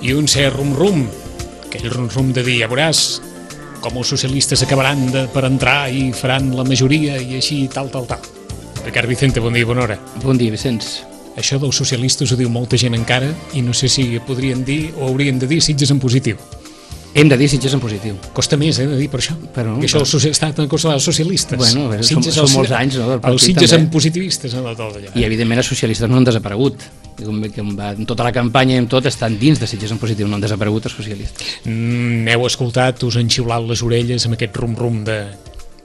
i un cert rum-rum, aquell rum-rum de dir, ja veuràs com els socialistes acabaran per entrar i faran la majoria i així tal. Ricard Vicente, bon dia i bona hora. Bon dia, Vicenç. Això dels socialistes ho diu molta gent encara i no sé si podrien dir o haurien de dir Sitges en positiu. Hem de dir Sitges en positiu. Costa més, de dir per això. Però, que això ha estat una cosa dels socialistes. Bueno, són molts anys, no? Els Sitges en positivivistes. I, evidentment, els socialistes no han desaparegut. En tota la campanya i en tot estan dins de Sitges en positiu, no han desaparegut els socialistes. M'heu escoltat, us han xiulat les orelles amb aquest rum-rum de...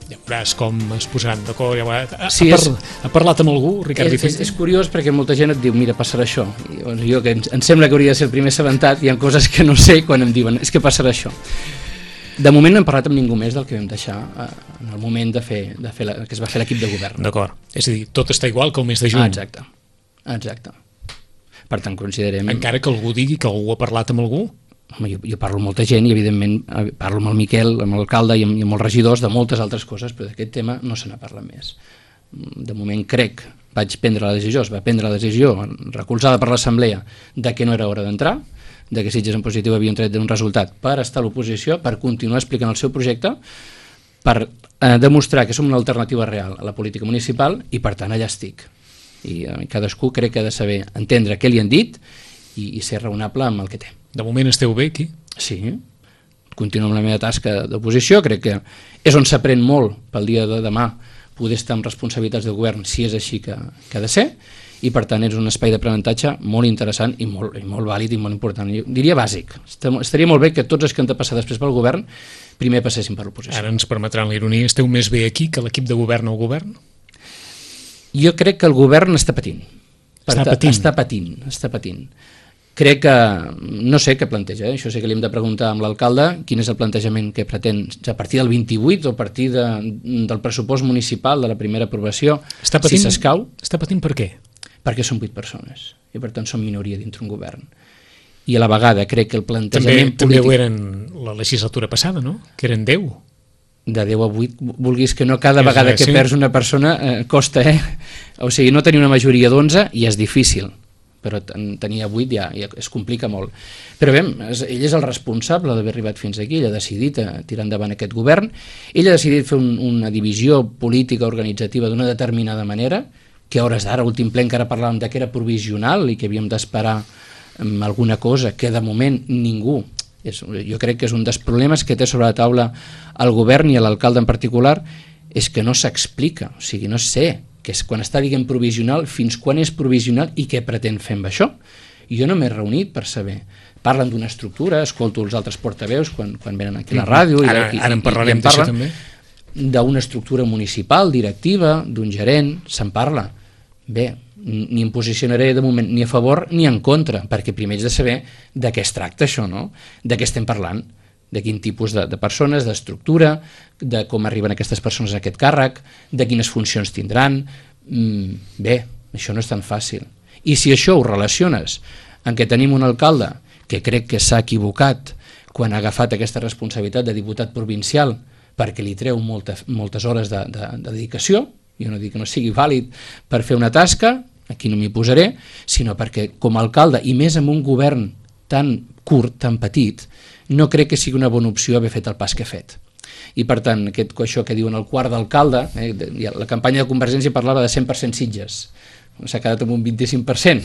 Ja veuràs com es posaran d'acord. Ha parlat amb algú, Ricard Vicente? És curiós perquè molta gent et diu, mira, passarà això. Jo, que em sembla que hauria de ser el primer assabentat, hi ha coses que no sé quan em diuen, és que passarà això. De moment no hem parlat amb ningú més del que vam deixar en el moment que es va fer l'equip de govern. D'acord, és a dir, tot està igual que el mes de juny. Exacte. Per tant, considerem... Encara que algú digui que algú ha parlat amb algú? Home, jo parlo amb molta gent i evidentment parlo amb el Miquel, amb l'alcalde i amb els regidors de moltes altres coses, però d'aquest tema no se n'ha parlat més. De moment crec, es va prendre la decisió recolzada per l'assemblea de que no era hora d'entrar, de que Sitges en positiu havien tret un resultat per estar a l'oposició, per continuar explicant el seu projecte, per demostrar que som una alternativa real a la política municipal i per tant allà estic. I cadascú crec que ha de saber entendre què li han dit i ser raonable amb el que té. De moment esteu bé aquí? Sí, continuo amb la meva tasca d'oposició, crec que és on s'aprèn molt pel dia de demà poder estar amb responsabilitats de govern si és així que ha de ser, i per tant és un espai d'aprenentatge molt interessant i molt vàlid i molt important, jo diria bàsic. Estaria molt bé que tots els que han de passar després pel govern primer passessin per l'oposició. Ara ens permetran la ironia, esteu més bé aquí que l'equip de govern al govern? Jo crec que el govern està patint. Està patint. Crec que, no sé què planteja, això sí que li hem de preguntar amb l'alcalde quin és el plantejament que pretén, a partir del 28 o a partir del pressupost municipal de la primera aprovació, si s'escau. Està patint per què? Perquè són 8 persones i per tant són minoria dintre un govern. I a la vegada crec que el plantejament polític... També ho eren la legislatura passada, no? Que eren 10. De 10 a 8, vulguis que no, cada vegada que perds una persona costa, O sigui, no tenir una majoria d'11 ja és difícil, però tenir 8 ja es complica molt. Però bé, ell és el responsable d'haver arribat fins aquí, ell ha decidit tirar endavant aquest govern, ell ha decidit fer una divisió política organitzativa d'una determinada manera, que a hores d'ara, últim ple encara parlàvem que era provisional i que havíem d'esperar alguna cosa que de moment ningú, jo crec que és un dels problemes que té sobre la taula el govern i l'alcalde en particular, és que no s'explica, o sigui, no sé, que és quan està dient provisional, fins quan és provisional i què pretén fer amb això. Jo no m'he reunit per saber. Parlen d'una estructura, escolto els altres portaveus quan venen aquí a la ràdio. Ara en parlarem d'això també. D'una estructura municipal, directiva, d'un gerent, se'n parla. Bé, ni em posicionaré de moment ni a favor ni en contra, perquè primer haig de saber de què es tracta això, no? De què estem parlant, de quin tipus de persones, d'estructura, de com arriben aquestes persones a aquest càrrec, de quines funcions tindran. Bé, això no és tan fàcil. I si això ho relaciones en què tenim un alcalde que crec que s'ha equivocat quan ha agafat aquesta responsabilitat de diputat provincial perquè li treu moltes hores de dedicació, jo no dic que no sigui vàlid per fer una tasca, aquí no m'hi posaré, sinó perquè com a alcalde, i més amb un govern tan curt, tan petit, no crec que sigui una bona opció haver fet el pas que he fet. I per tant, això que diuen el quart d'alcalde, la campanya de Convergència parlava de 100% Sitges, s'ha quedat amb un 25%,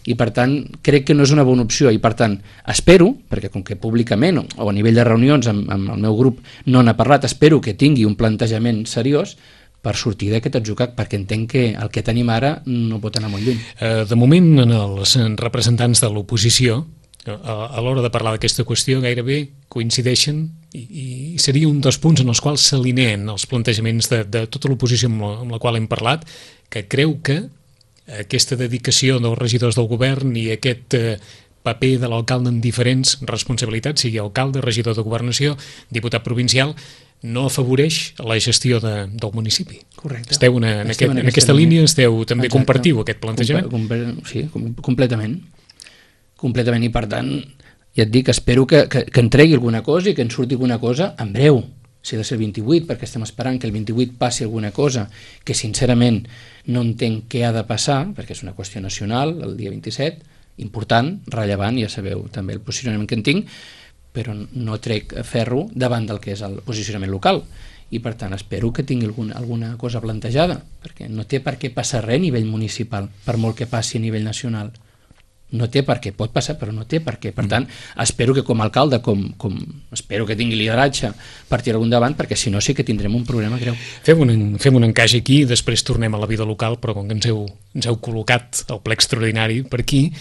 i per tant crec que no és una bona opció, i per tant espero, perquè com que públicament o a nivell de reunions amb el meu grup no n'ha parlat, espero que tingui un plantejament seriós per sortir d'aquest atzucac, perquè entenc que el que tenim ara no pot anar molt lluny. De moment, els representants de l'oposició a l'hora de parlar d'aquesta qüestió gairebé coincideixen i seria un dels punts en els quals s'alineen els plantejaments de tota l'oposició amb la qual hem parlat, que creu que aquesta dedicació dels regidors del govern i aquest paper de l'alcalde en diferents responsabilitats, sigui alcalde, regidor de governació, diputat provincial, no afavoreix la gestió del municipi. Correcte. Esteu en aquesta línia, també compartiu aquest plantejament? Sí, completament. Completament, i per tant, ja et dic, espero que en tregui alguna cosa i que en surti alguna cosa en breu, si ha de ser el 28, perquè estem esperant que el 28 passi alguna cosa que sincerament no entenc què ha de passar, perquè és una qüestió nacional el dia 27, important, rellevant, ja sabeu també el posicionament que en tinc, però no trec ferro davant del que és el posicionament local, i per tant espero que tingui alguna cosa plantejada, perquè no té per què passar res a nivell municipal, per molt que passi a nivell nacional. No té per què, pot passar, però no té per què. Per tant, espero que com a alcalde, espero que tingui lideratge per tirar-ho endavant, perquè si no sí que tindrem un problema greu. Fem un encaix aquí, després tornem a la vida local, però com que ens heu col·locat el ple extraordinari per aquí,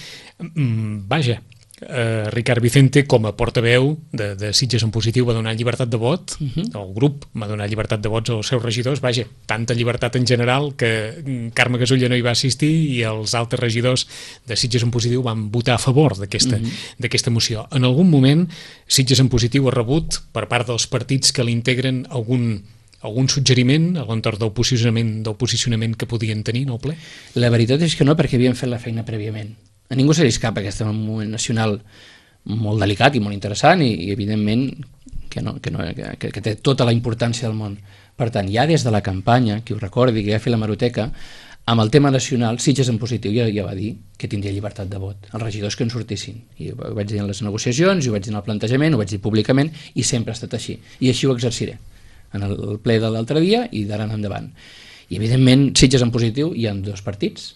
vaja, Ricard Vicente, com a portaveu de Sitges en Positiu, va donar llibertat de vot, el grup va donar llibertat de vots als seus regidors, vaja, tanta llibertat en general que Carme Gasulla no hi va assistir i els altres regidors de Sitges en Positiu van votar a favor d'aquesta moció. En algun moment Sitges en Positiu ha rebut per part dels partits que l'integren algun suggeriment a l'entorn del posicionament que podien tenir en el ple? La veritat és que no, perquè havien fet la feina prèviament. A ningú se li escapa que estem en un moment nacional molt delicat i molt interessant i evidentment que té tota la importància del món. Per tant, ja des de la campanya, qui ho recordi, que ja ha fet la hemeroteca, amb el tema nacional, Sitges en Positiu ja va dir que tindria llibertat de vot, els regidors que en sortissin. I ho vaig dir en les negociacions, ho vaig dir en el plantejament, ho vaig dir públicament i sempre ha estat així. I així ho exerciré en el ple de l'altre dia i d'ara en endavant. I evidentment, Sitges en Positiu hi ha dos partits,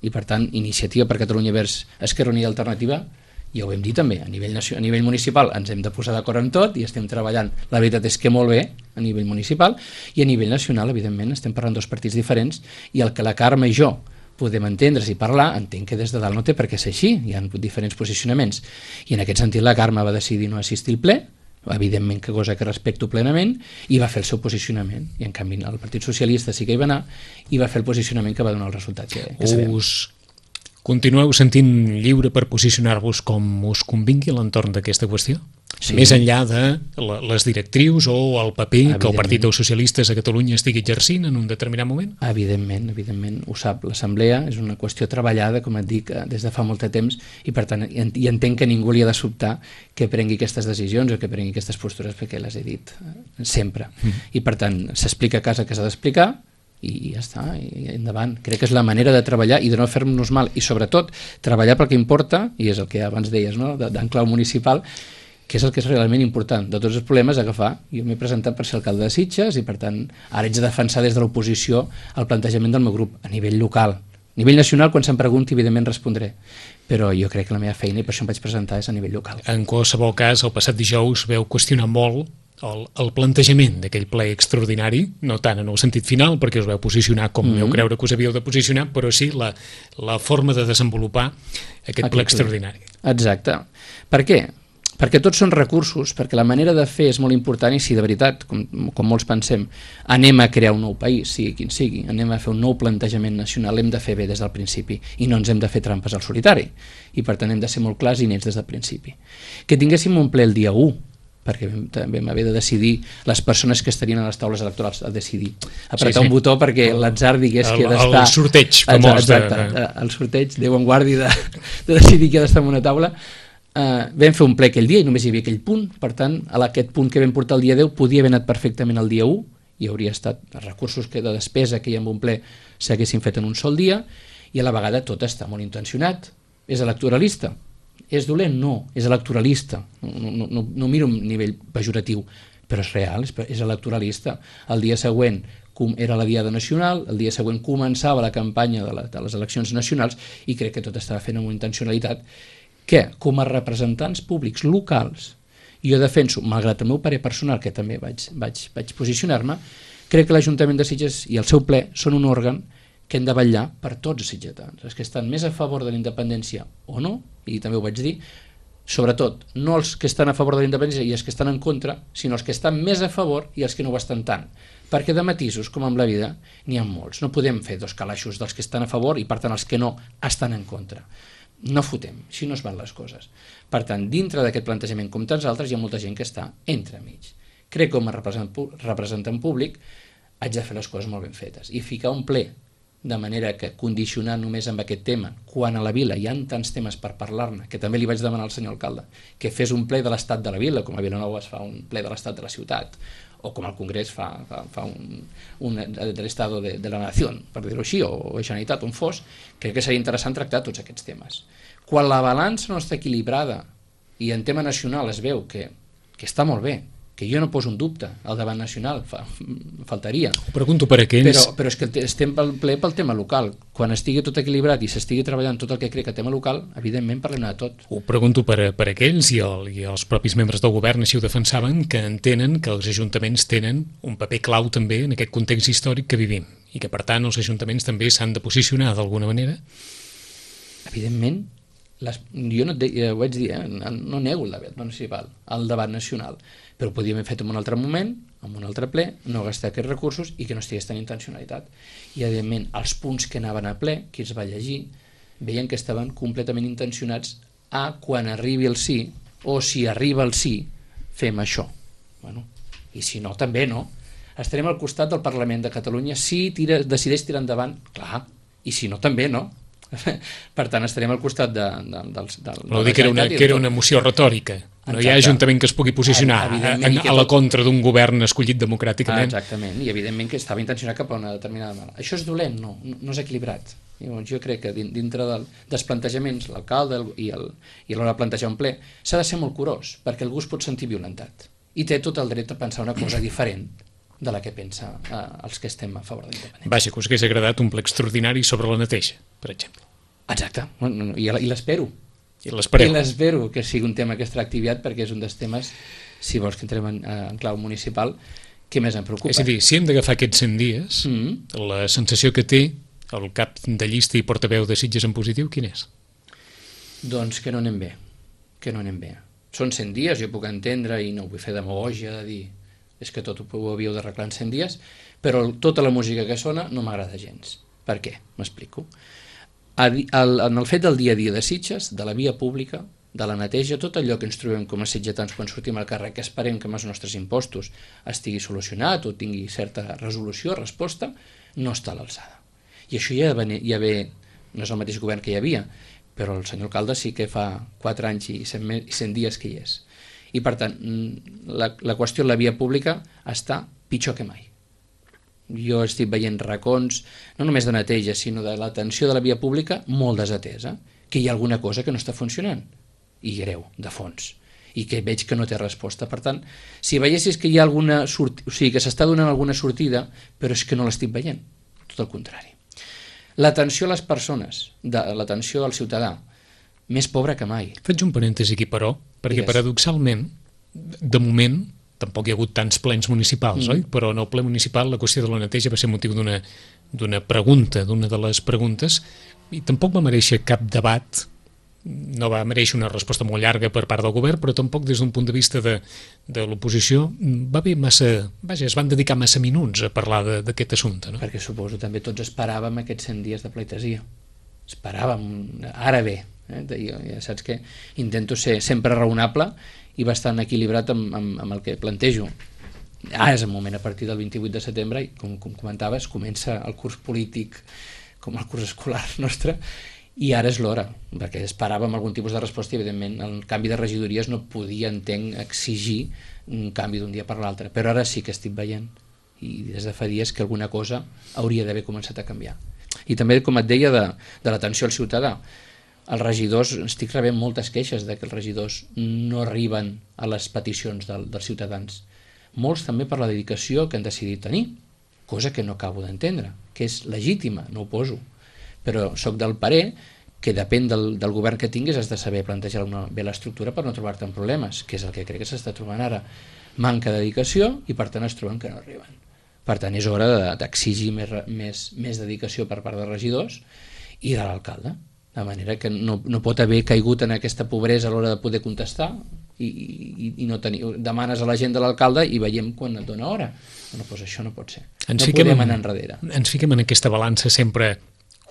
i per tant Iniciativa per Catalunya Verds Esquerra Unida i Alternativa, ja ho hem dit també, a nivell municipal ens hem de posar d'acord en tot i estem treballant, la veritat és que molt bé a nivell municipal, i a nivell nacional evidentment estem parlant dos partits diferents i el que la Carme i jo podem entendre's i parlar, entenc que des de dalt no té per què ser així, hi ha diferents posicionaments i en aquest sentit la Carme va decidir no assistir al ple, evidentment que cosa que respecto plenament, i va fer el seu posicionament, i en canvi el Partit Socialista sí que hi va anar i va fer el posicionament que va donar el resultat que sabem. Us continueu sentint lliure per posicionar-vos com us convingui a l'entorn d'aquesta qüestió? Sí. Més enllà de les directrius o el paper que el Partit dels Socialistes a Catalunya estigui exercint en un determinat moment? Evidentment, ho sap. L'Assemblea és una qüestió treballada, com et dic, des de fa molt de temps i per tant i entenc que ningú li ha de sobtar que prengui aquestes decisions o que prengui aquestes postures perquè les he dit sempre. I per tant s'explica a casa que s'ha d'explicar i ja està, i endavant. Crec que és la manera de treballar i de no fer-nos mal i sobretot treballar pel que importa, i és el que abans deies, no? d'en clau municipal, que és el que és realment important. De tots els problemes agafar, jo m'he presentat per ser alcalde de Sitges i per tant ara haig de defensar des de l'oposició el plantejament del meu grup a nivell local. A nivell nacional, quan se'm pregunti, evidentment respondré, però jo crec que la meva feina, i per això em vaig presentar, és a nivell local. En qualsevol cas, el passat dijous veu qüestionar molt el plantejament d'aquell ple extraordinari, no tant en el sentit final, perquè us veu posicionar com veu creure que us havíeu de posicionar, però sí la forma de desenvolupar aquest ple extraordinari. Exacte. Per què? Perquè tots són recursos, perquè la manera de fer és molt important i si de veritat, com molts pensem, anem a crear un nou país, sigui quin sigui, anem a fer un nou plantejament nacional, l'hem de fer bé des del principi i no ens hem de fer trampes al solitari i per tant hem de ser molt clars i nets des del principi. Que tinguéssim un ple el dia 1, perquè també vam haver de decidir les persones que estarien a les taules electorals a decidir, apretar un botó perquè l'atzar digués que ha d'estar... El sorteig famós. Exacte, el sorteig, Déu en guardi de decidir qui ha d'estar en una taula. Vam fer un ple aquell dia i només hi havia aquell punt, per tant aquest punt que vam portar el dia 10 podia haver anat perfectament el dia 1 i hauria estat els recursos de despesa que hi ha en un ple s'haguessin fet en un sol dia i a la vegada tot està molt intencionat. És electoralista? És dolent? No, és electoralista. No miro a nivell pejoratiu, però és real, és electoralista. El dia següent era la Diada Nacional, el dia següent començava la campanya de les eleccions nacionals i crec que tot estava fent amb una intencionalitat que, com a representants públics locals, jo defenso, malgrat el meu parer personal, que també vaig posicionar-me, crec que l'Ajuntament de Sitges i el seu ple són un òrgan que hem de vetllar per tots els sitgetans, els que estan més a favor de la independència o no, i també ho vaig dir, sobretot, no els que estan a favor de la independència i els que estan en contra, sinó els que estan més a favor i els que no ho estan tant, perquè de matisos, com amb la vida, n'hi ha molts, no podem fer dos calaixos dels que estan a favor i per tant els que no estan en contra. No fotem, així no es van les coses. Per tant, dintre d'aquest plantejament, com tants altres, hi ha molta gent que està entremig. Crec que com a representant públic haig de fer les coses molt ben fetes i ficar un ple de manera que condicionar només amb aquest tema, quan a la vila hi ha tants temes per parlar-ne, que també li vaig demanar al senyor alcalde que fes un ple de l'estat de la vila, com a Vilanova es fa un ple de l'estat de la ciutat, o com el Congrés fa un de l'Estado de la Nació, per dir-ho així, o Generalitat, on fos, crec que seria interessant tractar tots aquests temes. Quan la balança no està equilibrada i en tema nacional es veu que està molt bé, que jo no poso un dubte al debat nacional, faltaria. Ho pregunto per aquells... Però és que estem ple pel tema local. Quan estigui tot equilibrat i s'estigui treballant tot el que crec que tema local, evidentment parlem de tot. Ho pregunto per aquells i els propis membres del govern així ho defensaven, que entenen que els ajuntaments tenen un paper clau també en aquest context històric que vivim i que per tant els ajuntaments també s'han de posicionar d'alguna manera. Evidentment, jo no ho vaig dir, no nego el debat municipal, el debat nacional, però ho podíem haver fet en un altre moment, en un altre ple, no gastar aquests recursos i que no estigués tan intencionalitat. I evidentment els punts que anaven a ple, qui els va llegir, veien que estaven completament intencionats a quan arribi el sí, o si arriba el sí, fem això. Bueno, i si no, també no. Estarem al costat del Parlament de Catalunya si decideix tirar endavant, clar, i si no, també no. Per tant, estarem al costat de no dic que era una moció retòrica. No hi ha ajuntament que es pugui posicionar a la contra d'un govern escollit democràticament. Exactament, i evidentment que estava intencionat cap a una determinada manera. Això és dolent? No és equilibrat. Jo crec que dintre dels plantejaments, l'alcalde i a l'hora de plantejar un ple, s'ha de ser molt curós, perquè algú es pot sentir violentat i té tot el dret a pensar una cosa diferent de la que pensa els que estem a favor de l'independència. Vaja, que us hagués agradat un ple extraordinari sobre la neteja, per exemple. Exacte, i l'espero. I l'espereu. I l'espero que sigui un tema que es tracti aviat, perquè és un dels temes, si vols que entrem en clau municipal, que més em preocupa. És a dir, si hem d'agafar aquests 100 dies, la sensació que té el cap de llista i portaveu de Sitges en positiu, quin és? Doncs que no anem bé, Són 100 dies, jo puc entendre, i no vull fer demagògia de dir és que tot ho havíeu d'arreglar en 100 dies, però tota la música que sona no m'agrada gens. Per què? M'explico. En el fet del dia a dia de Sitges, de la via pública, de la neteja, tot allò que ens trobem com a sitgetans quan sortim al carrer, que esperem que amb els nostres impostos estigui solucionat o tingui certa resolució, resposta, no està a l'alçada. I això ja ve, no és el mateix govern que hi havia, però el senyor alcalde sí que fa 4 anys i 100 dies que hi és. I per tant, la qüestió de la via pública està pitjor que mai. Jo estic veient racons, no només de neteja, sinó de l'atenció de la via pública molt desatesa, que hi ha alguna cosa que no està funcionant, i greu, de fons, i que veig que no té resposta. Per tant, si veiessis que hi ha alguna que s'està donant alguna sortida, però és que no l'estic veient, tot el contrari. L'atenció a les persones, l'atenció al ciutadà, més pobre que mai. Faig un parèntesi aquí, però, perquè paradoxalment, de moment, tampoc hi ha hagut tants plens municipals, oi? Però en el ple municipal la qüestió de la neteja va ser motiu d'una pregunta, d'una de les preguntes, i tampoc va mereixer cap debat, no va mereixer una resposta molt llarga per part del govern, però tampoc des d'un punt de vista de l'oposició va haver massa... Vaja, es van dedicar massa minuts a parlar d'aquest assumpte, no? Perquè suposo també tots esperàvem aquests 100 dies de pleitesia. Esperàvem, ara bé, jo ja saps que intento ser sempre raonable i bastant equilibrat amb el que plantejo. Ara és el moment, a partir del 28 de setembre, i com comentaves, comença el curs polític com el curs escolar nostre, i ara és l'hora, perquè esperàvem algun tipus de resposta i evidentment el canvi de regidories no podia, entenc, exigir un canvi d'un dia per l'altre, però ara sí que estic veient, i des de fa dies, que alguna cosa hauria d'haver començat a canviar. I també, com et deia, de l'atenció al ciutadà. Els regidors, estic rebent moltes queixes de que els regidors no arriben a les peticions dels ciutadans. Molts també per la dedicació que han decidit tenir, cosa que no acabo d'entendre, que és legítima, no ho poso, però sóc del parer que depèn del govern que tinguis has de saber plantejar bé l'estructura per no trobar-te en problemes, que és el que crec que s'està trobant ara. Manca de dedicació i per tant es troben que no arriben. Per tant és hora d'exigir més dedicació per part dels regidors i de l'alcalde, de manera que no pot haver caigut en aquesta pobresa a l'hora de poder contestar i no tenir, demanes a la gent de l'alcalde i veiem quan et dona hora. Bueno, doncs això no pot ser. No podem anar enrere. Ens fiquem en aquesta balança sempre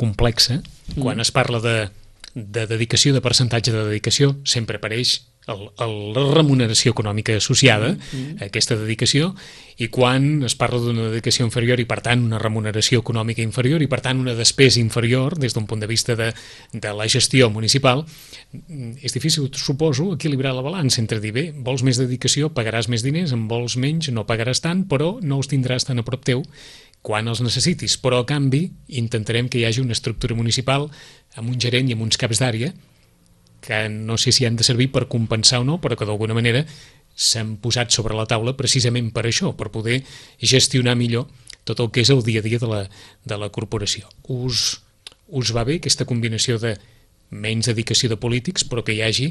complexa. Quan es parla de dedicació, de percentatge de dedicació, sempre apareix la remuneració econòmica associada a aquesta dedicació, i quan es parla d'una dedicació inferior i per tant una remuneració econòmica inferior i per tant una despesa inferior des d'un punt de vista de la gestió municipal, és difícil, suposo, equilibrar la balança entre dir, bé, vols més dedicació, pagaràs més diners, en vols menys, no pagaràs tant, però no els tindràs tan a prop teu quan els necessitis, però a canvi intentarem que hi hagi una estructura municipal amb un gerent i amb uns caps d'àrea que no sé si han de servir per compensar o no, però que d'alguna manera s'han posat sobre la taula precisament per això, per poder gestionar millor tot el que és el dia a dia de la corporació. Us va bé aquesta combinació de menys dedicació de polítics, però que hi hagi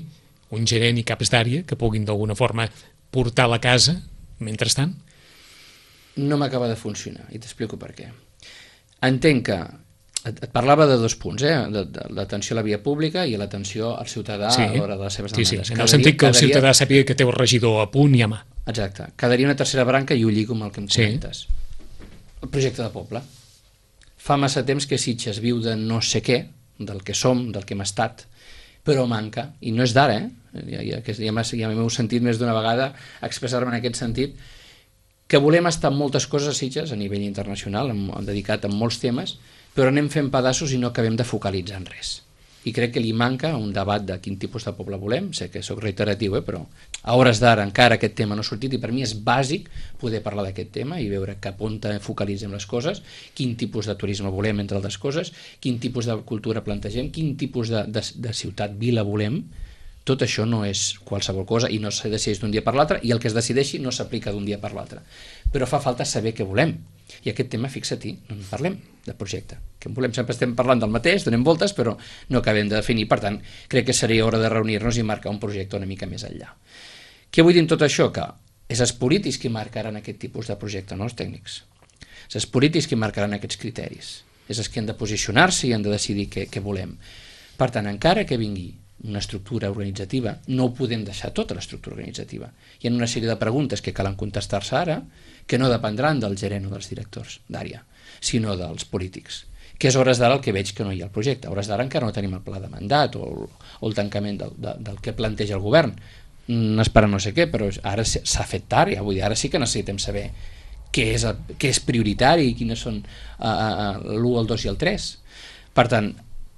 un gerent i caps d'àrea que puguin d'alguna forma portar la casa mentrestant? No m'acaba de funcionar, i t'explico per què. Entenc que et parlava de 2 punts, de l'atenció a la via pública i l'atenció al ciutadà a l'hora de les seves demandes. Sí, en el sentit que el ciutadà sàpiga que té el regidor a punt i a mà. Exacte. Quedaria una tercera branca i ho lligo amb el que em comentes. El projecte de poble. Fa massa temps que Sitges viu de no sé què, del que som, del que hem estat, però manca, i no és d'ara, ja m'heu sentit més d'una vegada expressar-me en aquest sentit, que volem estar en moltes coses a Sitges a nivell internacional, dedicat a molts temes, però anem fent pedaços i no acabem de focalitzar en res. I crec que li manca un debat de quin tipus de poble volem, sé que sóc reiteratiu, però a hores d'ara encara aquest tema no ha sortit i per mi és bàsic poder parlar d'aquest tema i veure cap on focalitzem les coses, quin tipus de turisme volem, entre altres coses, quin tipus de cultura plantegem, quin tipus de ciutat-vila volem. Tot això no és qualsevol cosa i no se decideix d'un dia per l'altre, i el que es decideixi no s'aplica d'un dia per l'altre. Però fa falta saber què volem. I aquest tema, fixa-t'hi, no en parlem de projecte. Que volem, sempre estem parlant del mateix, donem voltes, però no acabem de definir. Per tant, crec que seria hora de reunir-nos i marcar un projecte una mica més enllà. Què vull dir amb tot això? Que és els polítics qui marcaran aquest tipus de projecte, no els tècnics. És els polítics qui marcaran aquests criteris. És els que han de posicionar-se i han de decidir què volem. Per tant, encara que vingui una estructura organitzativa, no ho podem deixar tota l'estructura organitzativa. Hi ha una sèrie de preguntes que calen contestar-se ara, que no dependran del gerent o dels directors d'àrea, sinó dels polítics. Que és hores d'ara el que veig que no hi ha el projecte. A hores d'ara encara no tenim el pla de mandat o el tancament del que planteja el govern. Espera no sé què, però ara s'ha fet tard, ja vull dir, ara sí que necessitem saber què és prioritari i quines són l'1, el 2 i el 3. Per tant,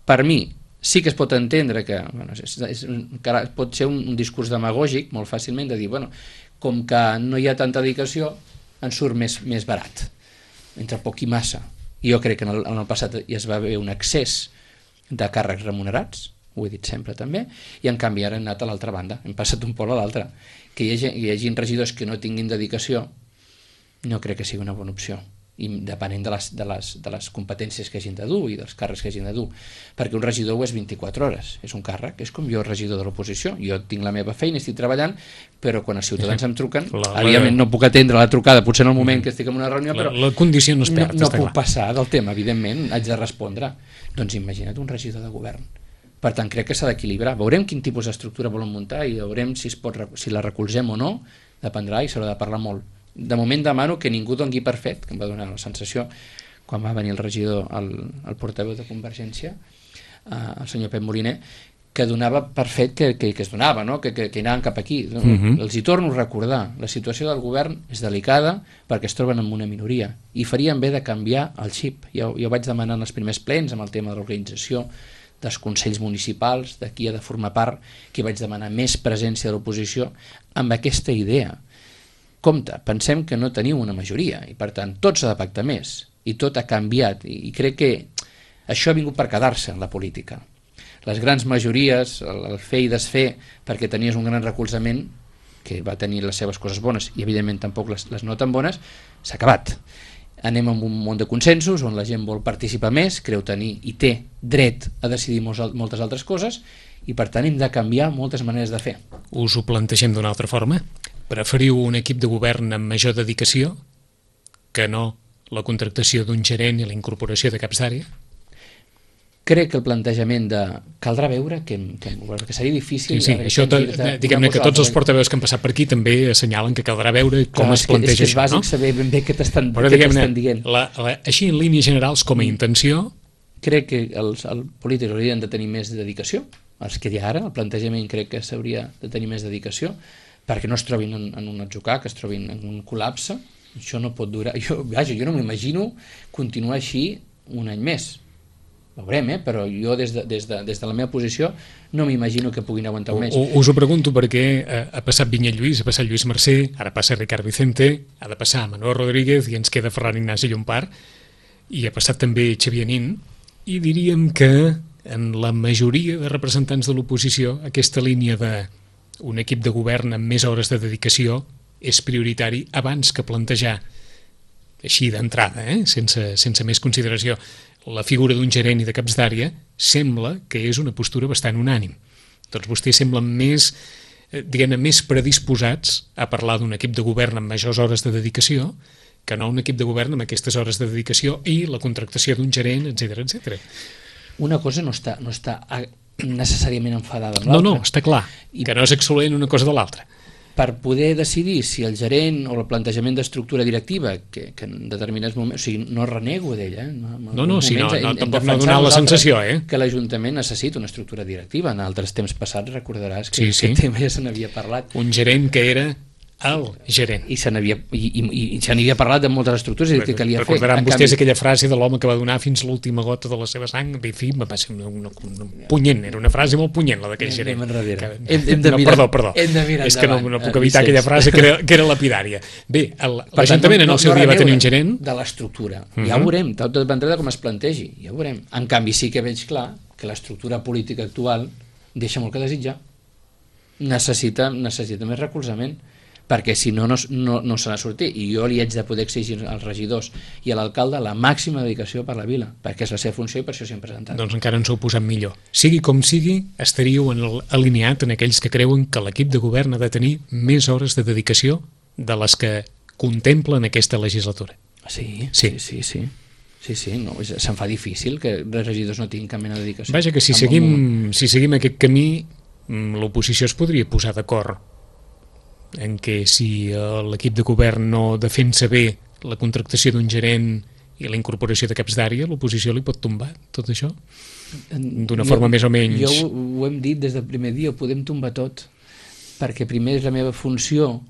per mi, sí que es pot entendre que pot ser un discurs demagògic molt fàcilment de dir, com que no hi ha tanta dedicació, ens surt més barat, entre poc i massa. Jo crec que en el passat ja es va haver un excés de càrrecs remunerats, ho he dit sempre també, i en canvi ara hem anat a l'altra banda, hem passat un pol a l'altre. Que hi hagi regidors que no tinguin dedicació no crec que sigui una bona opció, i depenent de les competències que hagin de dur i dels càrrecs que hagin de dur, perquè un regidor ho és 24 hores, és un càrrec, és com jo, regidor de l'oposició, jo tinc la meva feina, estic treballant, però quan els ciutadans em truquen, evidentment no puc atendre la trucada, potser en el moment que estic en una reunió, però la condició no es perd, no puc passar del tema, evidentment, haig de respondre. Doncs imagina't un regidor de govern. Per tant, crec que s'ha d'equilibrar, veurem quin tipus d'estructura volen muntar i veurem si la recolzem o no, dependrà i s'haurà de parlar molt. De moment demano que ningú doni per fet, que em va donar la sensació quan va venir el regidor, el portaveu de Convergència, el senyor Pep Moliner, que donava per fet que es donava, no? que anaven cap aquí. Els hi torno a recordar, la situació del govern és delicada perquè es troben en una minoria i farien bé de canviar el xip. Jo vaig demanar en els primers plens amb el tema de l'organització dels consells municipals, de qui ha de formar part, que vaig demanar més presència de l'oposició amb aquesta idea. Compte, pensem que no teniu una majoria i per tant tot s'ha de pactar més i tot ha canviat i crec que això ha vingut per quedar-se en la política. Les grans majories, el fer i desfer perquè tenies un gran recolzament que va tenir les seves coses bones i evidentment tampoc les no tan bones, s'ha acabat. Anem a un món de consensos on la gent vol participar més, creu tenir i té dret a decidir moltes altres coses i per tant hem de canviar moltes maneres de fer. Us ho plantegem d'una altra forma? Preferiu un equip de govern amb major dedicació que no la contractació d'un gerent i la incorporació de caps d'àrea? Crec que el plantejament de caldrà veure que seria difícil... Sí, això diguem-ne que tots els portaveus que han passat per aquí també assenyalen que caldrà veure com es planteja això. És bàsic saber ben bé què t'estan dient. Així en línies generals com a intenció... Crec que els polítics haurien de tenir més dedicació, els que hi ha ara, el plantejament crec que s'hauria de tenir més dedicació, perquè no es trobin en un atzucac, que es trobin en un col·lapse. Això no pot durar. Jo no m'imagino continuar així un any més. Veurem, però jo des de la meva posició no m'imagino que puguin aguantar un mes. Us ho pregunto perquè ha passat Vinyet Lluís, ha passat Lluís Mercè, ara passa Ricard Vicente, ha de passar Manuel Rodríguez i ens queda Ferran Ignasi Llompart, i ha passat també Xavier Nin, i diríem que en la majoria de representants de l'oposició aquesta línia d'un equip de govern amb més hores de dedicació és prioritari abans que plantejar així d'entrada, sense més consideració, la figura d'un gerent i de caps d'àrea. Sembla que és una postura bastant unànim. Doncs vostès semblen més, diguem-ne, més predisposats a parlar d'un equip de govern amb majors hores de dedicació que no un equip de govern amb aquestes hores de dedicació i la contractació d'un gerent, etc etc. Una cosa no està necessàriament enfadada amb l'altra. No, està clar, que no és excloent una cosa de l'altra. Per poder decidir si el gerent o el plantejament d'estructura directiva, que en determinats moments, o sigui, no renego d'ella, tampoc no ha donat la sensació, que l'Ajuntament necessita una estructura directiva. En altres temps passats recordaràs que sí. aquest tema ja se n'havia parlat. Un gerent que era el gerent. I se n'havia parlat de moltes estructures i que calia fer. Recordaran vostès aquella frase de l'home que va donar fins l'última gota de la seva sang. En fi, va ser una punyent, era una frase molt punyent, la d'aquell gerent. Hem de mirar perdó. És que no puc evitar Vicenç. aquella frase que era lapidària. Bé, l'Ajuntament en el seu dia va tenir un gerent. De l'estructura. Ja ho veurem, tot dependrà de com es plantegi. Ja ho veurem. En canvi, sí que veig clar que l'estructura política actual deixa molt que desitjar. Necessita més recolzament, perquè si no se n'ha sortit. I jo li haig de poder exigir als regidors i a l'alcalde la màxima dedicació per la vila, perquè és la seva funció i per això s'hi han presentat. Doncs encara ens ho heu posat millor. Sigui com sigui, estaríeu alineat en aquells que creuen que l'equip de govern ha de tenir més hores de dedicació de les que contemplen aquesta legislatura. Sí. No, se'n fa difícil que els regidors no tinguin cap mena de dedicació. Vaja, que si seguim aquest camí, l'oposició es podria posar d'acord en què si l'equip de govern no defensa bé la contractació d'un gerent i la incorporació de caps d'àrea, l'oposició li pot tombar tot això? D'una forma més o menys... Jo ho hem dit des del primer dia, ho podem tombar tot, perquè primer és la meva funció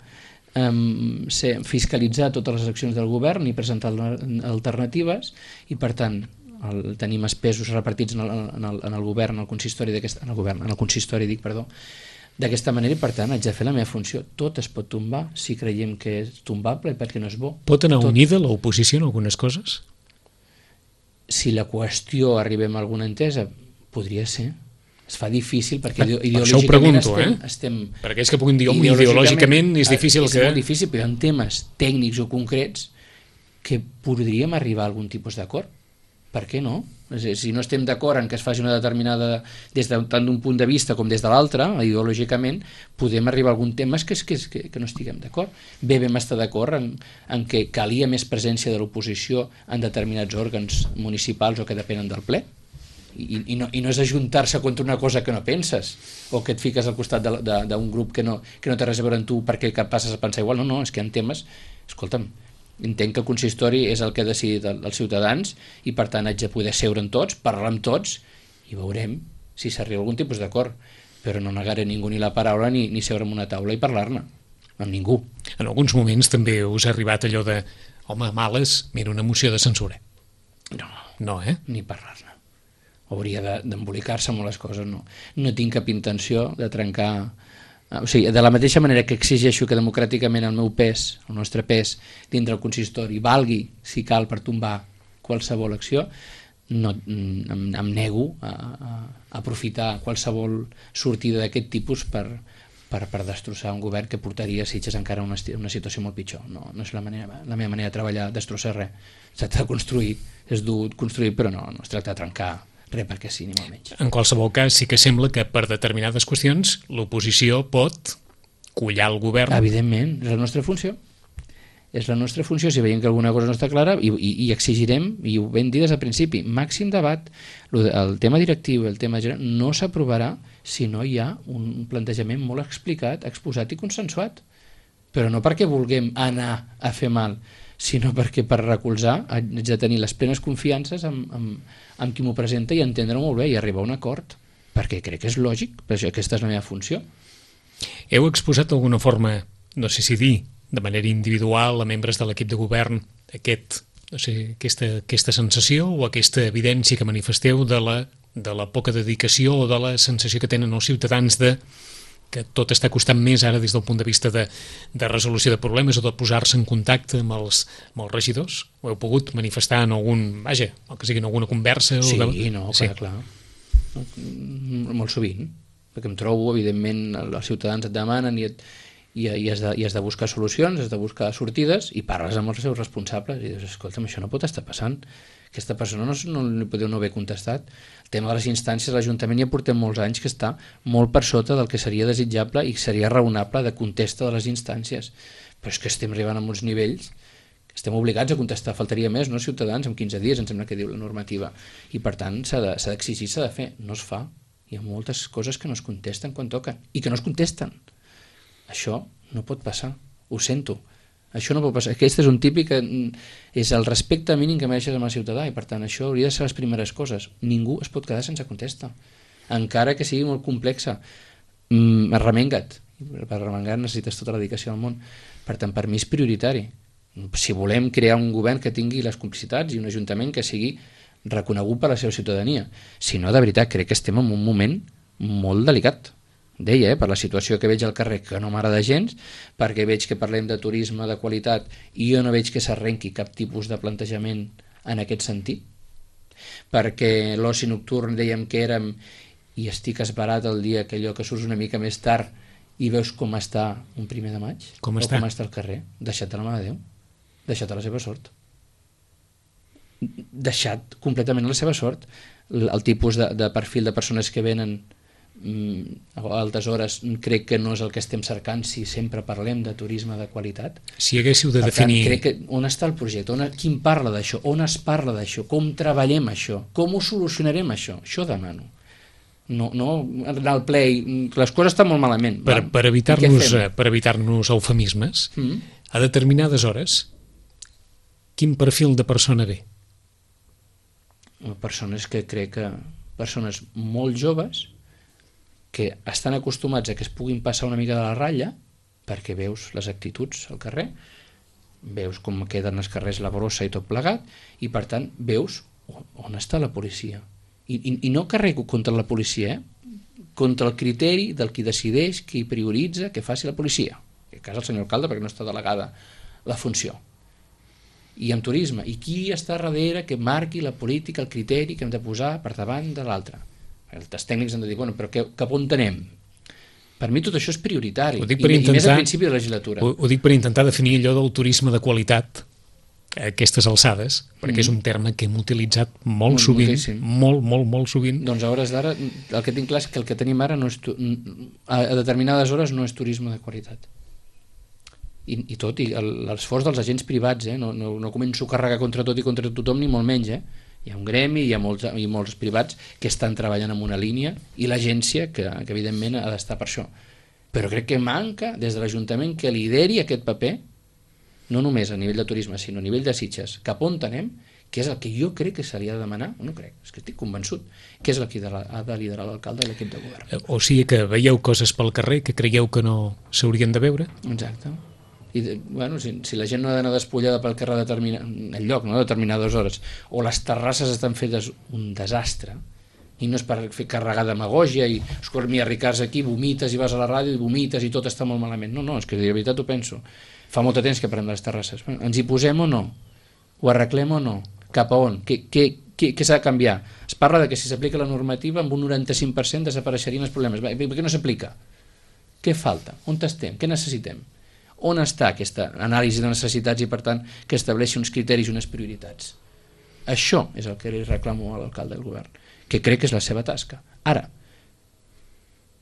fiscalitzar totes les accions del govern i presentar alternatives, i per tant tenim els pesos repartits en el govern, en el consistori d'aquesta manera, i per tant haig de fer la meva funció. Tot es pot tombar si creiem que és tombable, perquè no és bo. Pot anar unida l'oposició en algunes coses? Si la qüestió arribem a alguna entesa, podria ser. Es fa difícil perquè això ho pregunto, perquè és que puguin dir ideològicament és difícil és molt difícil, però hi ha temes tècnics o concrets que podríem arribar a algun tipus d'acord. Per què no? Si no estem d'acord en que es faci una determinada, tant d'un punt de vista com des de l'altre, ideològicament, podem arribar a algun tema que no estiguem d'acord. Bé, vam estar d'acord en que calia més presència de l'oposició en determinats òrgans municipals o que depenen del ple. I no és ajuntar-se contra una cosa que no penses, o que et fiques al costat d'un grup que no té res a veure amb tu perquè passes a pensar igual. No, és que hi ha temes... Escolta'm, entenc que el consistori és el que ha decidit els ciutadans i per tant haig de poder seure amb tots, parlar amb tots i veurem si s'arriba a algun tipus d'acord, però no negaré a ningú ni la paraula ni seure en una taula i parlar-ne amb ningú. En alguns moments també us ha arribat allò de home, males, mira, una moció de censura. No, ni parlar-ne. Hauria d'embolicar-se molt les coses. No tinc cap intenció de trencar. O sigui, de la mateixa manera que exigeixo que democràticament el meu pes, el nostre pes, dintre el consistori valgui, si cal, per tombar qualsevol acció, em nego a aprofitar qualsevol sortida d'aquest tipus per destrossar un govern que portaria Sitges encara a una situació molt pitjor. No és la meva manera de treballar, destrossar res. Es tracta de construir, és dur construir, però no es tracta de trencar res perquè sí, ni molt menys. En qualsevol cas, sí que sembla que per determinades qüestions l'oposició pot collar el govern. Evidentment, és la nostra funció. És la nostra funció, si veiem que alguna cosa no està clara, i exigirem, i ho vam dir des del principi, màxim debat. El tema directiu, el tema general, no s'aprovarà si no hi ha un plantejament molt explicat, exposat i consensuat. Però no perquè vulguem anar a fer mal, sinó perquè per recolzar haig de tenir les plenes confiances amb qui m'ho presenta i entendre-ho molt bé i arribar a un acord. perquè crec que és lògic, perquè aquesta és la meva funció. Heu exposat d'alguna forma, no sé si dir, de manera individual a membres de l'equip de govern aquesta sensació o aquesta evidència que manifesteu de la poca dedicació o de la sensació que tenen els ciutadans que tot està costant més ara des del punt de vista de resolució de problemes o de posar-se en contacte amb els regidors? Ho heu pogut manifestar en algun, o que sigui en alguna conversa? Sí, clar. Molt sovint, perquè em trobo, evidentment, els ciutadans et demanen i has de buscar solucions, has de buscar sortides i parles amb els seus responsables i dius, escolta'm, això no pot estar passant, aquesta persona no li podeu no haver contestat. El tema de les instàncies, l'Ajuntament ja portem molts anys que està molt per sota del que seria desitjable i seria raonable de contesta de les instàncies, però és que estem arribant a uns nivells que estem obligats a contestar, faltaria més, no, ciutadans, en 15 dies, em sembla que diu la normativa, i per tant s'ha d'exigir, s'ha de fer, no es fa. Hi ha moltes coses que no es contesten quan toquen i que no es contesten. Això no pot passar, ho sento, això no pot passar. Aquest és un típic que és el respecte mínim que mereixes amb el ciutadà i per tant això hauria de ser les primeres coses. Ningú es pot quedar sense contesta, encara que sigui molt complexa. Arremenga't, per arremengar necessites tota la dedicació del món, per tant per mi és prioritari. Si volem crear un govern que tingui les complicitats i un ajuntament que sigui reconegut per la seva ciutadania, si no, de veritat, crec que estem en un moment molt delicat. Deia, per la situació que veig al carrer, que no m'agrada gens, perquè veig que parlem de turisme de qualitat i jo no veig que s'arrenqui cap tipus de plantejament en aquest sentit, perquè l'oci nocturn dèiem que érem i estic esperat el dia que allò que surts una mica més tard i veus com està un 1 de maig, com està el carrer, deixat a la mà de Déu, deixat a la seva sort, deixat completament a la seva sort. El tipus de perfil de persones que venen a altes hores crec que no és el que estem cercant si sempre parlem de turisme de qualitat. Si haguéssiu de definir... Crec que on està el projecte, qui parla d'això, on es parla d'això, com treballem això, com ho solucionarem això demano. No anar al ple les coses estan molt malament. Per evitar-nos eufemismes, a determinades hores, quin perfil de persona ve? Persones que crec que persones molt joves que estan acostumats a que es puguin passar una mica de la ratlla perquè veus les actituds al carrer, veus com queden els carrers la brossa i tot plegat i per tant veus on està la policia i no carrego contra la policia, contra el criteri del qui decideix, qui prioritza que faci la policia, en aquest cas el senyor alcalde perquè no està delegada la funció, i en turisme, i qui està darrere que marqui la política, el criteri que hem de posar per davant de l'altre. Els tècnics han de dir, bueno, però cap on anem? Per mi tot això és prioritari, i més al principi de la legislatura. Ho dic per intentar definir allò del turisme de qualitat a aquestes alçades, perquè és un terme que hem utilitzat molt sovint, molt sovint. Doncs a hores d'ara, el que tinc clar és que el que tenim ara a determinades hores no és turisme de qualitat. I l'esforç dels agents privats, no començo a carregar contra tot i contra tothom, ni molt menys, hi ha un gremi, hi ha molts privats que estan treballant en una línia i l'agència que evidentment ha d'estar per això, però crec que manca des de l'Ajuntament que lideri aquest paper, no només a nivell de turisme sinó a nivell de Sitges, cap on anem, que és el que jo crec que se li ha de demanar, no crec, és que estic convençut que és el que ha de liderar l'alcalde i l'equip de govern. O sigui que veieu coses pel carrer que creieu que no s'haurien de veure? Exacte. I, si la gent no ha d'anar despullada pel carrer a determinades hores, o les terrasses estan fetes un desastre, i no és per fer carregar demagògia i escormir a Ricards aquí, vomites i vas a la ràdio i vomites i tot està molt malament. No, és que de veritat ho penso. Fa molt de temps que parlem de les terrasses. Ens hi posem o no? Ho arreglem o no? Cap a on? Què s'ha de canviar? Es parla de que si s'aplica la normativa amb un 95% desapareixerien els problemes. Per què no s'aplica? Què falta? On estem? Què necessitem? On està aquesta anàlisi de necessitats i per tant que estableixi uns criteris i unes prioritats? Això és el que li reclamo a l'alcalde del govern, que crec que és la seva tasca. Ara,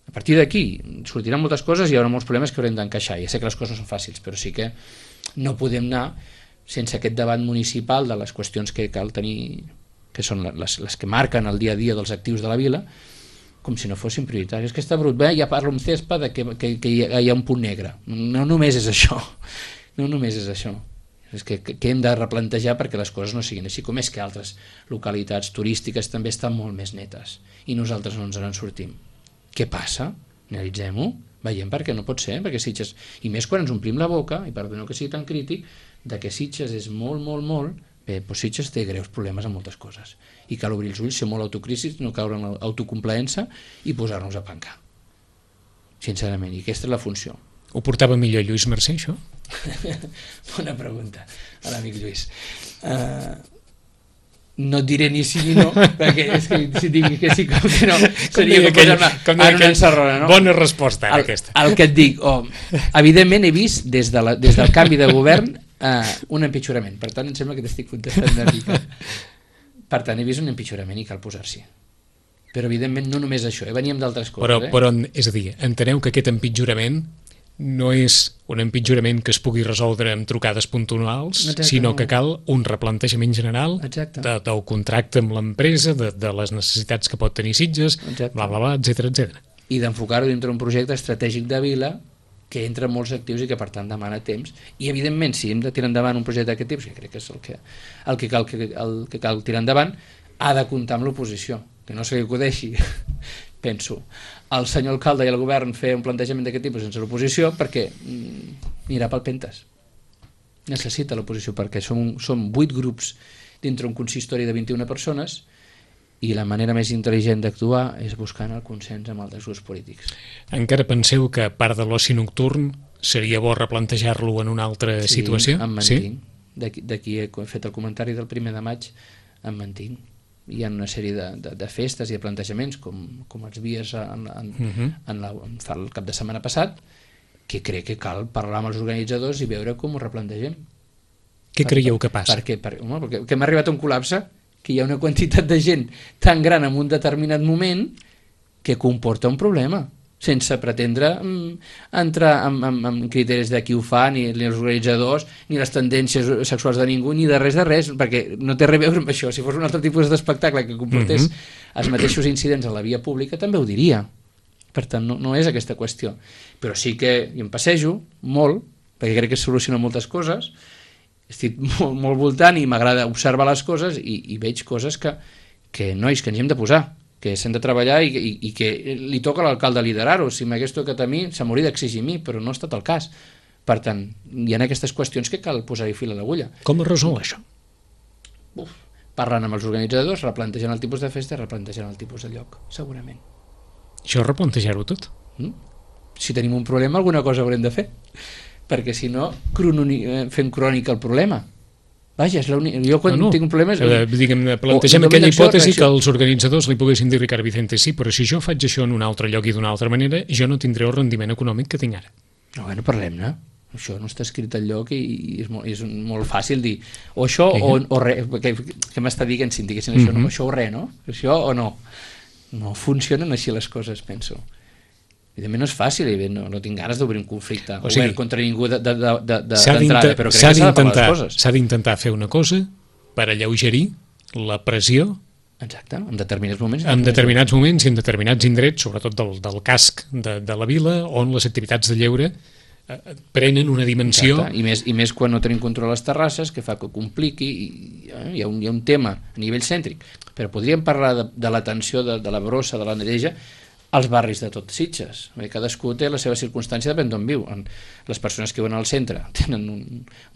a partir d'aquí sortiran moltes coses i hi haurà molts problemes que haurem d'encaixar. Ja sé que les coses no són fàcils, però sí que no podem anar sense aquest debat municipal de les qüestions que cal tenir, que són les que marquen el dia a dia dels actius de la vila, com si no fossin prioritàries. Que està brut, bé, ja parlo amb Cespa de que hi ha un punt negre. No només és això. No només és això. És que hem de replantejar perquè les coses no siguin així, com és que altres localitats turístiques també estan molt més netes i nosaltres no ens en sortim. Què passa? Analitzem-ho, veiem per què no pot ser, perquè Sitges, i més quan ens omplim la boca, i perdoneu que sigui tan crític, de que Sitges és molt, bé, doncs Sitges té greus problemes amb moltes coses i cal obrir els ulls, ser molt autocrítics, no caure en l'autocomplaença i posar-nos a pencar, sincerament, i aquesta és la funció. Ho portava millor Lluís Mercè, això? Bona pregunta a l'amic Lluís. No et diré ni sí ni no, perquè és que si digui que sí com que no seria com posar-me en una encerrona, no? Bona resposta, aquesta. El que et dic, evidentment he vist des del canvi de govern un empitjorament, per tant em sembla que t'estic contestant una mica. Per tant, he vist un empitjorament i cal posar-s'hi. Però evidentment no només això, veníem d'altres coses. Però, és a dir, enteneu que aquest empitjorament no és un empitjorament que es pugui resoldre amb trucades puntuals, sinó que cal un replantejament general del contracte amb l'empresa, de les necessitats que pot tenir Sitges, bla, bla, bla, etcètera. I d'enfocar-ho dintre un projecte estratègic de vila que entra en molts actius i que per tant demana temps. I evidentment, si hem de tirar endavant un projecte d'aquest tipus, que crec que és el que cal tirar endavant, ha de comptar amb l'oposició, que no se li acudeixi, penso, el senyor alcalde i el govern fer un plantejament d'aquest tipus sense l'oposició, perquè anirà pel pentes. Necessita l'oposició, perquè som 8 grups dintre un consistori de 21 persones i la manera més intel·ligent d'actuar és buscant el consens amb altres grups polítics. Encara penseu que a part de l'oci nocturn seria bo replantejar-lo en una altra situació? Em mantinc. D'aquí he fet el comentari del 1 de maig, em mantinc. Hi ha una sèrie de festes i de plantejaments com els vies el cap de setmana passat, que crec que cal parlar amb els organitzadors i veure com ho replantegem. Què creieu que passa? Perquè hem arribat a un col·lapse, que hi ha una quantitat de gent tan gran en un determinat moment que comporta un problema, sense pretendre entrar en criteris de qui ho fa, ni els organitzadors, ni les tendències sexuals de ningú, ni de res, perquè no té res a veure amb això. Si fos un altre tipus d'espectacle que comportés els mateixos incidents a la via pública, també ho diria. Per tant, no és aquesta qüestió. Però sí que hi em passejo molt, perquè crec que es solucionen moltes coses, estic molt voltant i m'agrada observar les coses i veig coses que nois, que ens hem de posar, que s'han de treballar i que li toca a l'alcalde liderar-ho. Si m'hagués tocat a mi, se m'hauria d'exigir a mi, però no ha estat el cas. Per tant, hi ha aquestes qüestions que cal posar-hi fil a l'agulla. Com es resol això? Parlant amb els organitzadors, replantejant el tipus de festa, replantejant el tipus de lloc, segurament. Això replantejar-ho tot? Si tenim un problema, alguna cosa haurem de fer, perquè si no, fem crònica el problema. Vaja, jo quan tinc un problema... Plantegem aquella hipòtesi que els organitzadors li poguessin dir Ricard Vicente, sí, però si jo faig això en un altre lloc i d'una altra manera, jo no tindré el rendiment econòmic que tinc ara. Bueno, parlem-ne. Això no està escrit al lloc i és molt fàcil dir o això o res. Què m'està dient si diguessin això? No, això o res, no? Això o no? No funcionen així les coses, penso. Evidentment no és fàcil, no tinc ganes d'obrir un conflicte obert contra ningú d'entrada, però crec que s'ha de parlar les coses. S'ha d'intentar fer una cosa per alleugerir la pressió. Exacte, en determinats moments. En determinats moments i en determinats indrets, sobretot del casc de la vila, on les activitats de lleure prenen una dimensió... I més quan no tenim control a les terrasses, que fa que compliqui, hi ha un tema a nivell cèntric, però podríem parlar de l'atenció de la brossa, de la neteja, als barris de tot Sitges. Cadascú té la seva circumstància, depèn d'on viu. Les persones que viuen al centre tenen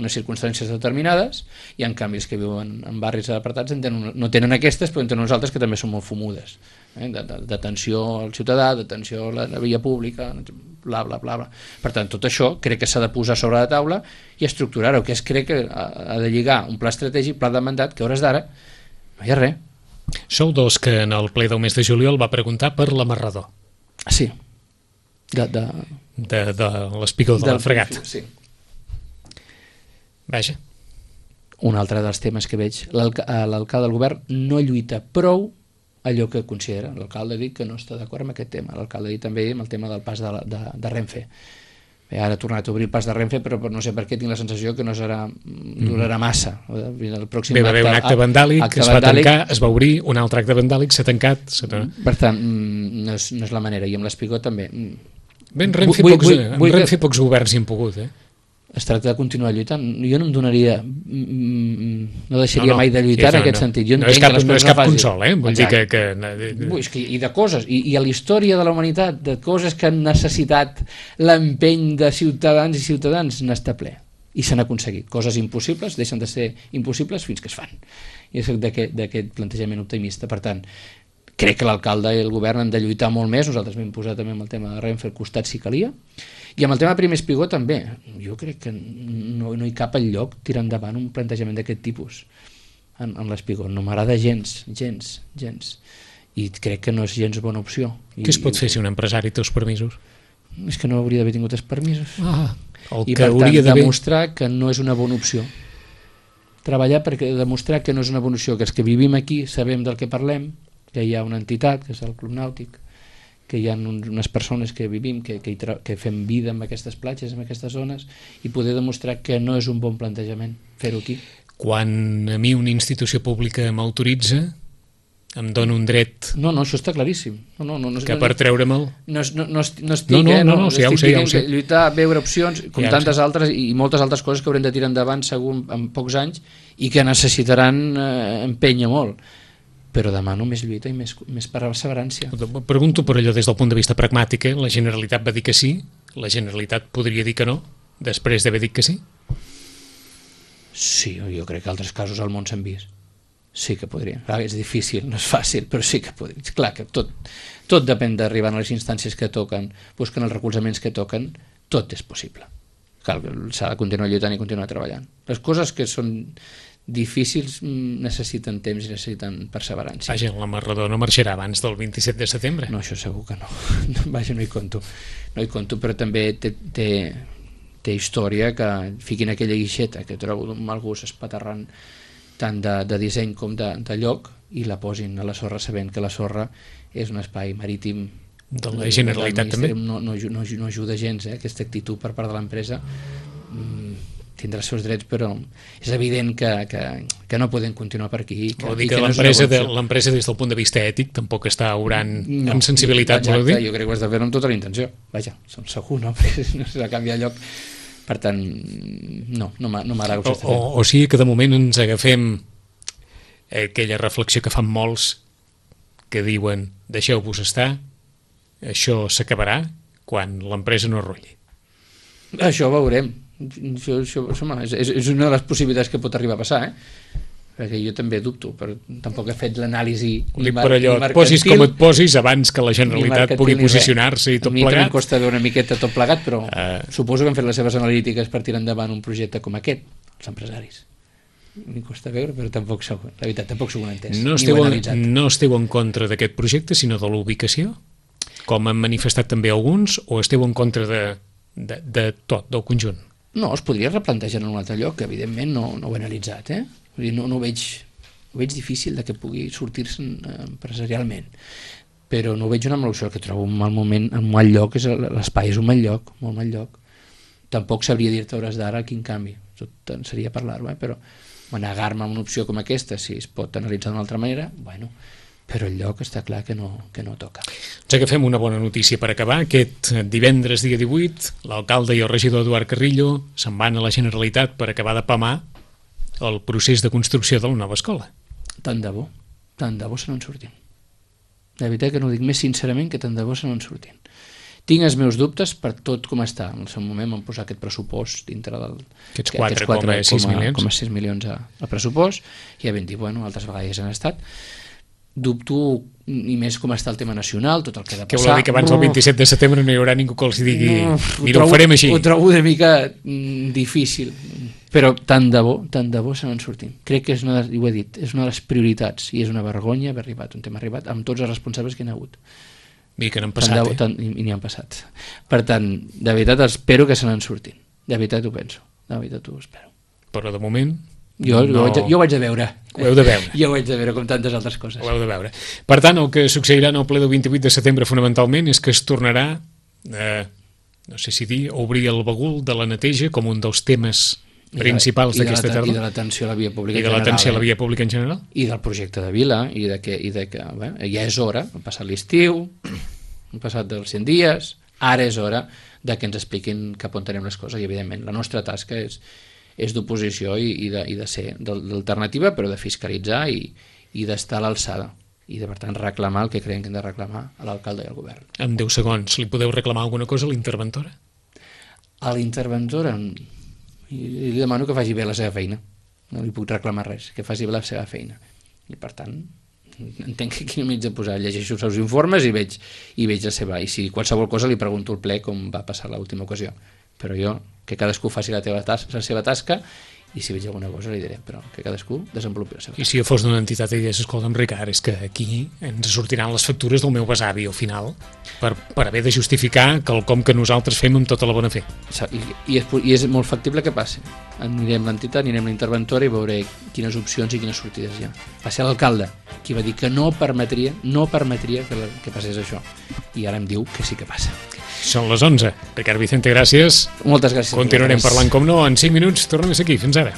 unes circumstàncies determinades i en canvi els que viuen en barris apartats no tenen aquestes, però en tenen uns altres que també són molt fumudes. D'atenció al ciutadà, d'atenció a la via pública, bla, bla, bla. Per tant, tot això crec que s'ha de posar sobre la taula i estructurar-ho, que crec que ha de lligar un pla estratègic, pla de mandat, que a hores d'ara no hi ha res. Sou dos que en el ple del mes de juliol va preguntar per l'amarrador. Sí. De l'espigó de la Fregat. Sí. Vaja. Un altre dels temes que veig, l'alcalde del govern no lluita prou allò que considera. L'alcalde ha dit que no està d'acord amb aquest tema. L'alcalde ha dit també amb el tema del pas de Renfe. Ara ha tornat a obrir el pas de Renfe, però no sé per què tinc la sensació que no durarà massa. El pròxim va haver un acte vandàlic, es va tancar, es va obrir, un altre acte vandàlic s'ha tancat. Per tant, no és la manera, i amb l'Espigó també. Ben Renfe pocs governs hi han pogut, es tracta de continuar lluitant. Jo no em donaria, no deixaria mai de lluitar en aquest sentit. Jo no és cap consol, vull dir que... I de coses, i a la història de la humanitat, de coses que han necessitat l'empeny de ciutadans i ciutadans, n'està ple. I s'han aconseguit. Coses impossibles deixen de ser impossibles fins que es fan. I és d'aquest plantejament optimista. Per tant, crec que l'alcalde i el govern han de lluitar molt més. Nosaltres vam posar també amb el tema de Renfe al costat si calia, i amb el tema Primer Espigó també. Jo crec que no hi cap enlloc tirar endavant un plantejament d'aquest tipus en l'Espigó. No m'agrada gens. I crec que no és gens bona opció. Què es pot fer si un empresari té els permisos? És que no hauria d'haver tingut els permisos. I per tant demostrar que no és una bona opció. Treballar perquè demostrar que no és una bona opció, que els que vivim aquí sabem del que parlem, que hi ha una entitat, que és el Club Nàutic, que hi ha unes persones que vivim, que fem vida en aquestes platges, en aquestes zones, i poder demostrar que no és un bon plantejament fer-ho aquí. Quan a mi una institució pública m'autoritza, em dona un dret... No, això està claríssim. Que per treure'm-el... No estic ja ho sé. Lluitar, veure opcions, com tantes altres i moltes altres coses que haurem de tirar endavant segur en pocs anys i que necessitaran empènyer molt. Però demano més lluita i més perseverància. Pregunto per allò des del punt de vista pragmàtic, la Generalitat va dir que sí, la Generalitat podria dir que no, després d'haver dit que sí? Sí, jo crec que altres casos al món s'han vist. Sí que podria. Clar, és difícil, no és fàcil, però sí que podria. Clar que tot depèn d'arribar a les instàncies que toquen, busquen els recolzaments que toquen, tot és possible. Cal, s'ha de continuar lluitant i continuar treballant. Les coses que són difícils necessiten temps i necessiten perseverància. Vaja, l'amarrador no marxarà abans del 27 de setembre. No, això segur que no. Vaja, no hi conto, però també té història que fiquin aquella guixeta que trobo d'un mal gust espaterrant tant de disseny com de lloc i la posin a la sorra sabent que la sorra és un espai marítim de la Generalitat també. No ajuda gens aquesta actitud per part de l'empresa. Tindrà els seus drets, però és evident que no poden continuar per aquí. Vol dir que l'empresa des del punt de vista ètic tampoc està obrant amb sensibilitat. Exacte, jo crec que ho has de fer amb tota la intenció. Vaja, segur, no? Perquè no s'ha de canviar lloc. Per tant, no m'agrada que ho s'està fent. O sigui que de moment ens agafem aquella reflexió que fan molts que diuen deixeu-vos estar, això s'acabarà quan l'empresa no rulli. Això ho veurem. És una de les possibilitats que pot arribar a passar, perquè jo també dubto, però tampoc he fet l'anàlisi per allò, et posis com et posis abans que la Generalitat pugui posicionar-se i tot plegat. A mi em costa veure una miqueta tot plegat, però suposo que han fet les seves analítiques per tirar endavant un projecte com aquest, els empresaris. M'hi costa veure, però tampoc sou, la veritat, tampoc sou un entès. No esteu en contra d'aquest projecte, sinó de l'ubicació, com han manifestat també alguns, o esteu en contra de tot, del conjunt? No, es podria replantejar en un altre lloc, que evidentment no ho he analitzat, Vull dir, no ho veig difícil de que pugui sortir-se empresarialment, però no ho veig una mala opció, que trobo un mal moment, un mal lloc, l'espai és un mal lloc, molt mal lloc. Tampoc sabria dir-te hores d'ara quin canvi, tot seria parlar-ho, però negar-me a una opció com aquesta, si es pot analitzar d'una altra manera, bueno, però el lloc està clar que no toca. Ens agafem una bona notícia per acabar. Aquest divendres, dia 18, l'alcalde i el regidor Eduard Carrillo se'n van a la Generalitat per acabar de pamar el procés de construcció de la nova escola. Tant de bo se n'en surtin. De veritat que no ho dic més sincerament, que tant de bo se n'en surtin. Tinc els meus dubtes per tot com està. En el seu moment vam posar aquest pressupost dintre del... Aquests 4,6 milions al pressupost, i ja vam dir, bueno, altres vegades han estat. Dubto, i més com està el tema nacional, tot el que ha de passar. Que vol dir que abans del 27 de setembre no hi haurà ningú que els digui mira, ho farem així. Ho trobo una mica difícil, però tant de bo se n'en sortim. Crec que és ho he dit, és una de les prioritats, i és una vergonya haver arribat, un tema arribat, amb tots els responsables que hi ha hagut. I que n'han passat, I n'hi han passat. Per tant, de veritat espero que se n'en surtin. De veritat ho penso, de veritat ho espero. Però de moment... Jo ho vaig a veure. Ho heu de veure. Jo ho vaig a veure, com tantes altres coses. Ho heu de veure. Per tant, el que succeirà en el ple del 28 de setembre fonamentalment és que es tornarà, no sé si dir, obrir el bagul de la neteja com un dels temes principals d'aquesta tardor. I de l'atenció a la via pública en general. I de l'atenció a la via pública en general. I del projecte de vila, i de que ja és hora, ha passat l'estiu, han passat dels 100 dies, ara és hora de que ens expliquin cap on tenim les coses, i evidentment la nostra tasca és d'oposició i de ser d'alternativa, però de fiscalitzar i d'estar a l'alçada i de, per tant, reclamar el que creiem que hem de reclamar a l'alcalde i al govern. En 10 segons, li podeu reclamar alguna cosa a l'interventora? A l'interventora li demano que faci bé la seva feina, no li puc reclamar res, que faci bé la seva feina, i per tant entenc que aquí no m'haig de posar, llegeixo els seus informes i veig la seva, i si qualsevol cosa li pregunto al ple com va passar l'última ocasió, però jo, que cadascú faci la seva tasca, i si veig alguna cosa li diré, però que cadascú desenvolupi la seva tasca. I si jo fos d'una entitat i digués, escolta'm Ricard, és que aquí ens sortiran les factures del meu besavi al final per haver de justificar quelcom que nosaltres fem amb tota la bona fe. I és molt factible que passi. Anirem a l'entitat, anirem a l'interventora i veuré quines opcions i quines sortides hi ha. Va ser l'alcalde qui va dir que no permetria que passés això, i ara em diu que sí que passa. Són les 11. Ricard Vicente, gràcies. Moltes gràcies. Continuarem parlant, com no, en 5 minuts. Tornem a ser aquí. Fins ara.